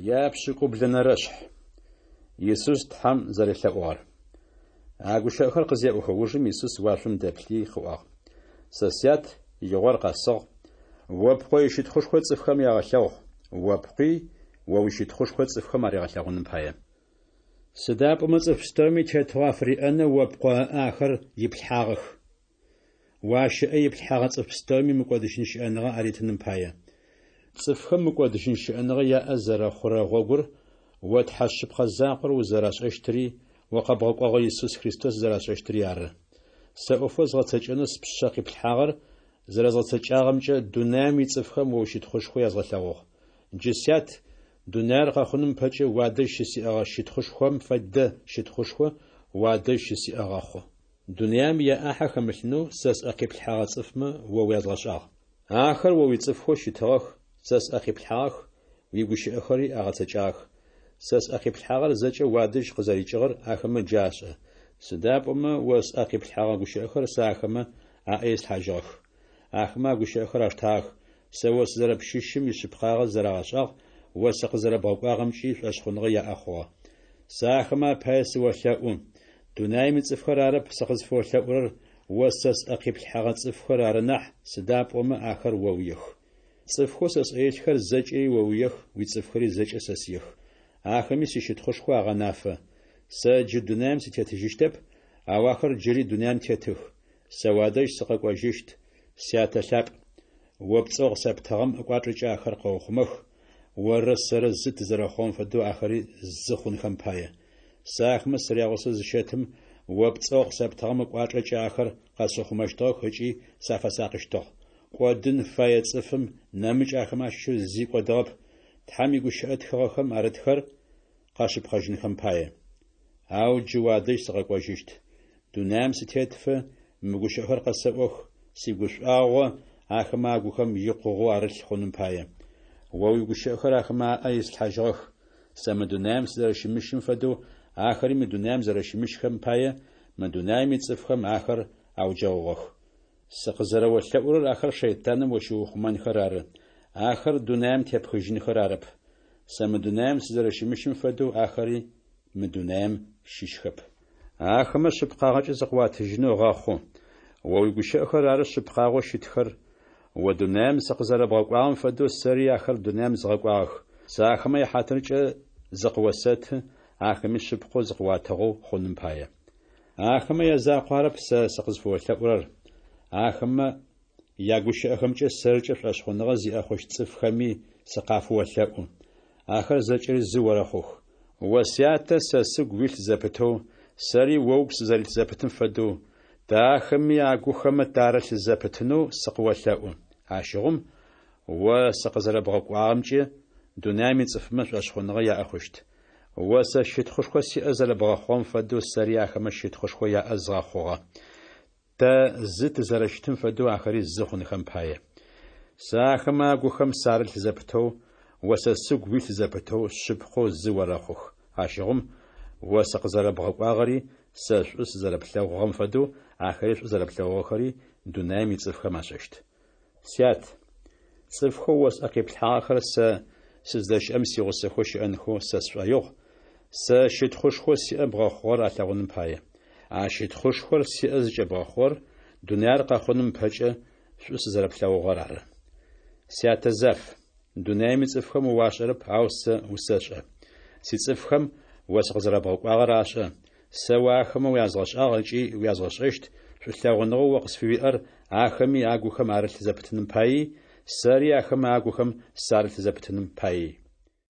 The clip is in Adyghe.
Япшӏыкӏублэнэрэшъхь. Исус Тхьэм зэрелъэӏугъэр. А гущыӏэхэр къызеӏохэ ужым Исус уашъом дэплъи къыӏуагъ: Сэ Сят, игъор къэсыгъ, о Пкъо ищытхъушхо цӏыфхэм ягъэлъэгъу, о Пкъуи о уищытхъушхо цӏыфхэм аригъэлъэгъуным пае. Сыда пӏомэ цӏыф пстэуми тетыгъо афыриӏэнэу о Пкъо ыӏэ ахэр иплъхьагъэх. О ащ ыӏэ иплъхьэгъэ цӏыф пстэуми мыкӏодыжьын щыӏэныгъэ аритыным пае. Цӏыфхэм мыкӏодыжьын щыӏэныгъэ яӏэ зэрэхъурэ гъогур о Тхьэ шъыпкъэ закъор узэрашӏэщтыри, о къэбгъэкӏогъэ Исус Христос зэрашӏэщтыри ары. Сэ ӏофэу згъэцэкӏэнэу спшъэ къиплъхьагъэр зэрэзгъэцэкӏагъэмкӏэ дунаим ицӏыфхэм о уищытхъушхо язгъэлъэгъугъ. Джы, Сят, дунаир къэхъуным ыпэкӏэ уадэжь щысиӏэгъэ щытхъушхом фэдэ щытхъушхо уадэжь щысиӏэ гъэхъу. Дунаим яӏахьэ хэмылъынэу сэ сӏэ къиплъхьэгъэ цӏыфмэ о уязгъэшӏагъ. Ахэр о уицӏыфхэу щытыгъэх, сэ сӏэ къиплъхьагъэх, уигущыӏэхэри агъэцэкӏагъэх. Сэ сӏэ къиплъхьагъэр зэкӏэ уадэжь къызэрикӏыгъэр ахэмэ джы ашӏэ. Сыда пӏомэ о сӏэ къиплъхьэгъэ гущыӏэхэр сэ ахэмэ аӏэ ислъхьажьыгъэх. Ахэмэ а гущыӏэхэр аштагъэх, сэ о сызэрэпщыщым ишъыпкъагъэ зэрагъэшӏагъ, о сыкъызэрэбгъэкӏуагъэмкӏи шӏошъхъуныгъэ яӏэ хъугъэ. Сэ ахэмэ апае сыолъэӏу. Дунаим ицӏыфхэр арэп сыкъызфыолъэӏурэр, о сэ сӏэ къиплъхьэгъэ цӏыфхэр ары нахь, сыда пӏомэ ахэр оуех. Цӏыфхэу сэ сӏэ илъхэр зэкӏэри оуех, уицӏыфхэри зэкӏэ сэсыех. Ахэми сищытхъушхо агъэнафэ. Сэ джы дунаим сытетыжьыщтэп, ау ахэр джыри дунаим тетых. Сэ уадэжь сыкъэкӏожьыщт, Сятэ лъапӏ. О пцӏэу къысэптыгъэм ыкӏуачӏэкӏэ ахэр къэухъумэх, оррэ сэрэ зы тызэрэхъугъэм фэдэу ахэри зы хъунхэм пае. Сэ ахэмэ сырягъусэу зыщэтым, о пцӏэу къысэптыгъэм ыкӏуачӏэкӏэ ахэр къэсыухъумэщтыгъэх ыкӏи сафэсакъыщтыгъ. Кӏодын фэе цӏыфым нэмыкӏ ахэмэ ащыщэу зи кӏодыгъэп, Тхьэм игущыӏэ тхыгъэхэм арытхэр къэшъыпкъэжьынхэм пае. Ау джы уадэжь сыкъэкӏожьыщт. Дунаим сытетыфэ мы гущыӏэхэр къэсэӏох, сигушӏуагъо ахэмэ агухэм икъугъэу арылъ хъуным пае. О уигущыӏэхэр ахэмэ аӏэ ислъхьажьыгъэх. Сэ мы дунаим сызэрэщымыщым фэдэу ахэри мы дунаим зэрэщымыщхэм пае, мы дунаим ицӏыфхэм ахэр ауджэгъугъэх. Сыкъызэрэолъэӏурэр ахэр шэйтаным ощыухъумэнхэр ары, ахэр дунаим тепхыжьынхэр арэп. Сэ мы дунаим сызэрэщымыщым фэдэу ахэри мы дунаим щыщхэп. Ахэмэ шъыпкъагъэкӏэ зыкъыуатыжьынэу гъэхъу. О уигущыӏэхэр ары шъыпкъагъэу щытхэр. О дунаим сыкъызэрэбгъэкӏуагъэм фэдэу сэри ахэр дунаим згъэкӏуагъэх. Сэ ахэмэ яхьатыркӏэ зыкъыосэты, ахэми шъыпкъэу зыкъыуатыгъэу хъуным пае. Ахэмэ язакъу арэп сэ сыкъызфыолъэӏурэр, ахэмэ ягущыӏэхэмкӏэ сэркӏэ шӏошъхъуныгъэ зиӏэ хъущт цӏыфхэми сыкъафыолъэӏу. Ахэр зэкӏэри зы орэхъух. О Сятэ сэ сыгу уилъ зэпытэу, сэри о угу сызэрилъ зэпытым фэдэу, тэ ахэми агухэмэ тарылъ зэпытынэу сыкъыолъэӏу. Ащыгъум, о сыкъызэрэбгъэкӏуагъэмкӏэ дунаим ицӏыфмэ шӏошъхъуныгъэ яӏэ хъущт. О сэ щытхъушхо сиӏэ зэрэбгъэхъугъэм фэдэу сэри ахэмэ щытхъушхо яӏэ згъэхъугъэ. Тэ зы тызэрэщытым фэдэу ахэри зы хъунхэм пае. Сэ ахэмэ агухэм сарылъ зэпытэу, о сэ сыгу уилъ зэпытэу шъыпкъэу зы орэхъух. Ащыгъум, о сыкъызэрэбгъэкӏуагъэри, сэ шӏу сызэрэплъэгъугъэм фэдэу ахэри шӏу зэрэплъэгъугъэхэри дунаим ицӏыфхэм ашӏэщт. Сят, цӏыфхэу о сӏэ къиплъхьагъэхэр сэ сыздэщыӏэм сигъусэхэу щыӏэнхэу сэ сшӏоигъу, сэ щытхъушхоу сиӏэ бгъэхъугъэр алъэгъуным пае. А щытхъушхор сиӏэ зыкӏэбгъэхъугъэр дунаир къэхъуным ыпэкӏэ шӏу сызэрэплъэгъугъэр ары. Сятэ заф, дунаим ицӏыфхэм о уашӏэрэп, ау сэ усэшӏэ. Сицӏыфхэм о сыкъызэрэбгъэкӏуагъэр ашӏэ. Сэ о ахэмэ уязгъэшӏагъ ыкӏи уязгъэшӏэщт шӏулъэгъуныгъэу о къысфыуиӏэр ахэми агухэм арылъ зэпытыным паий, сэри ахэмэ агухэм сарылъ зэпытыным паий.